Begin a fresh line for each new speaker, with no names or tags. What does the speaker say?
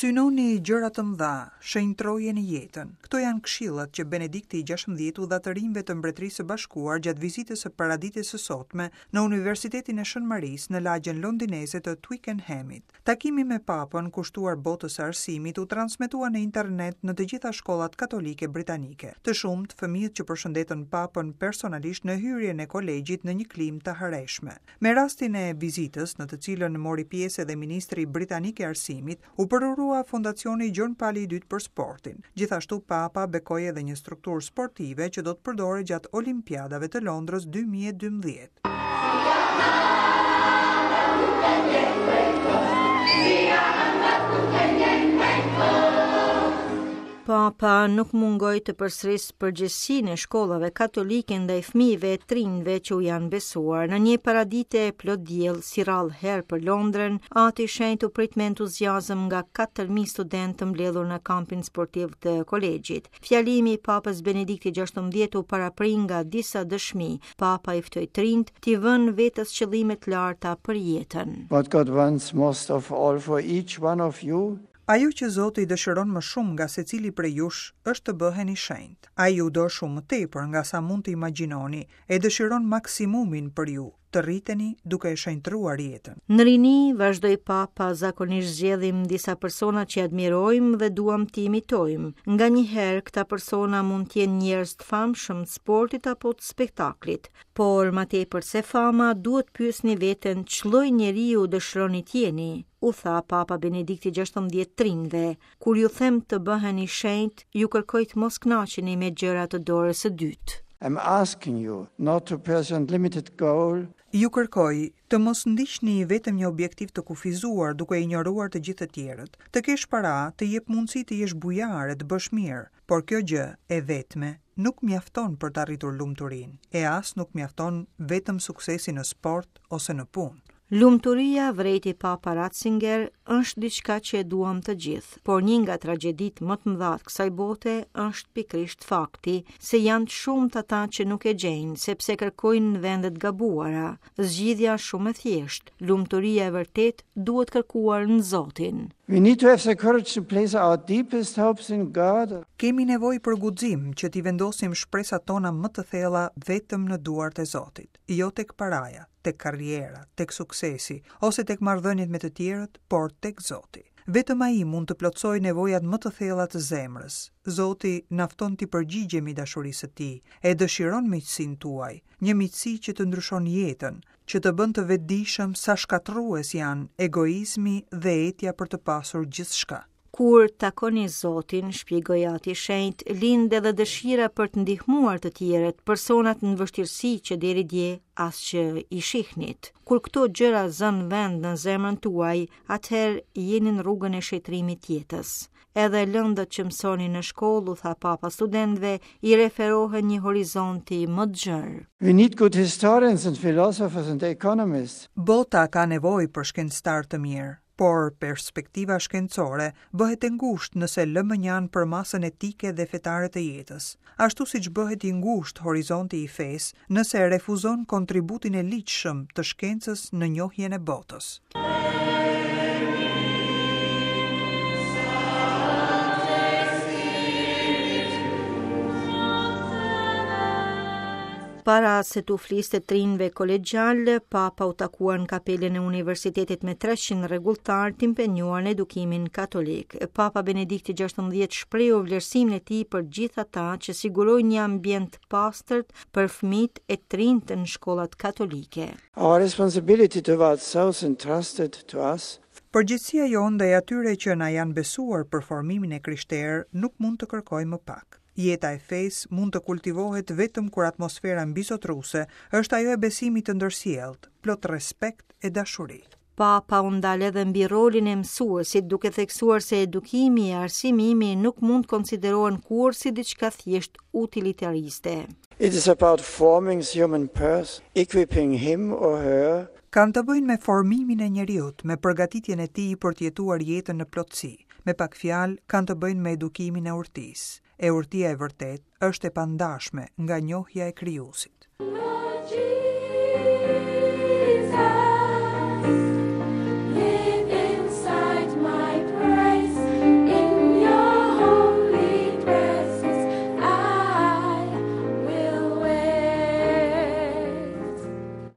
Synoni gjëra të mëdha, shenjtërojeni jetën. Këto janë këshillat që Benedikti i XVI u dha të rinjve të Mbretërisë së Bashkuar gjatë vizitës së paradites së sotme në Universitetin e Shën Marisë në lagjen londineze të Twickenhamit. Takimi me Papën kushtuar botës së arsimit u transmetua në internet në të gjitha shkollat katolike britanike. Të shumtë fëmijët që përshëndetën Papën personalisht në hyrjen e kolegjit në një klimë të hareshme. Me rastin e vizitës, në të cilën mori pjesë edhe ministri britanik i Arsimit, u përurua Fondacioni Gjon Pali i Dytë për Sportin. Gjithashtu Papa bekoi edhe një strukturë sportive që do të përdoret gjatë Olimpiadave të Londrës 2012.
Papa nuk mungoi të përsërisë përgjegjësinë e shkollave katolike ndaj fëmijëve e të rinjve që u janë besuar. Në një paradite plot diell, si rrallë herë për Londrën, Ati i Shenjtë u prit me entuziazëm nga 4000 studentë të mbledhur në kampin sportiv të kolegjit. Fjalimi i Papës Benedikti XVI u parapri nga disa dëshmi. Papa i ftoi të rinjtë t'i vënë vetes qëllime të larta për jetën.
What God wants most of all for each one of you
Ajo që Zoti dëshiron më shumë nga secili prej jush është të bëheni shenjtë. Ai ju do shumë më tepër nga sa mund të imagjinoni, e dëshiron maksimumin për ju, të rriteni duke e shenjtëruar
jetën. Në rini, vazhdoi Papa, zakonisht zgjedhim disa persona që admirojmë dhe duam t'i imitojmë. Nganjëherë, këta persona mund të jenë njerëz të famshëm të sportit apo të spektaklit. Por, ma tepër se fama, duhet pyesni veten ç'lloj njeriu dëshironi të jeni, u tha Papa Benedikti XVI të rinjve. Kur ju them të bëheni shenjtë, ju kërkoj të mos kënaqeni me gjëra të dorës së dytë.
I'm asking you not to pursue a limited goal.
Ju kërkoj të mos ndiqni vetëm një objektiv të kufizuar duke injoruar të gjithë të tjerët. Të kesh para të jep mundësi të jesh bujar e të bësh mirë, por kjo gjë e vetme nuk mjafton për të arritur lumturinë, e as nuk mjafton vetëm suksesi në sport ose në punë.
Lumturia, vërejti Papa Ratzinger, është diçka që e duam të gjithë, por një nga tragjeditë më të mëdha të kësaj bote është pikërisht fakti se janë të shumtë ata që nuk e gjejnë, sepse kërkojnë në vende të gabuara. Zgjidhja është shumë e thjeshtë, lumturia e vërtetë duhet kërkuar në Zotin.
We need to have the courage to place our deepest hopes in God.
Kemi nevojë për guxim që t'i vendosim shpresat tona më të thella vetëm në duart e Zotit, jo tek paraja, tek karriera, tek suksesi ose tek marrëdhëniet me të tjerët, por tek Zoti. Vetëm Ai mund të plotësojë nevojat më të thella të zemrës. Zoti na fton t'i përgjigjemi dashurisë së Tij, e dëshiron miqësinë tuaj, një miqësi që të ndryshon jetën, që të bën të vetëdijshëm sa shkatërrues janë egoizmi dhe etja për të pasur gjithçka.
Kur takoni Zotin, shpjegoi Ati i Shenjtë, lind edhe dëshira për të ndihmuar të tjerët, personat në vështirësi që deri dje as që i shihnit. Kur këto gjëra zënë vend në zemrën tuaj, atëherë jeni në rrugën e shenjtërimit të jetës. Edhe lëndët që mësoni në shkollë, u tha Papa studentëve, i referohen një horizonti më të
gjerë. We need good historians and philosophers and economists.
Bota ka nevojë për shkencëtarë të mirë. Por perspektiva shkencore bëhet e ngushtë nëse lë mënjanë përmasën etike dhe fetare të jetës, ashtu siç bëhet i ngushtë horizonti i fesë nëse refuzon kontributin e ligjshëm të shkencës në njohjen e botës.
Para se t'u fliste të rinjve kolegjialë, Papa u takua në kapelën e universitetit me 300 rregulltarë të impenjuar në edukimin katolik. Papa Benedikti XVI shprehu vlerësimin e tij për gjithë ata që sigurojnë një ambient të pastër për fëmijët e të rinjtë në shkollat katolike.
Our responsibility towards those entrusted to us
Përgjegjësia jonë ndaj atyre që na janë besuar për formimin e krishterë nuk mund të kërkojë më pak. Jeta e fesë mund të kultivohet vetëm kur atmosfera mbizotëruese është ajo e besimit të ndërsjelltë, plot respekt e dashuri.
Papa u ndal edhe mbi rolin e mësuesit, duke theksuar se edukimi e arsimimi nuk mund të konsiderohen kurrë si diçka thjesht utilitariste.
It is about forming the human person, equipping him or her
Kanë të bëjnë me formimin e njeriut, me përgatitjen e tij për të jetuar jetën në plotësi. Me pak fjalë, kanë të bëjnë me edukimin e urtisë. E urtia e vërtetë është e pandashme nga njohja e Krijuesit.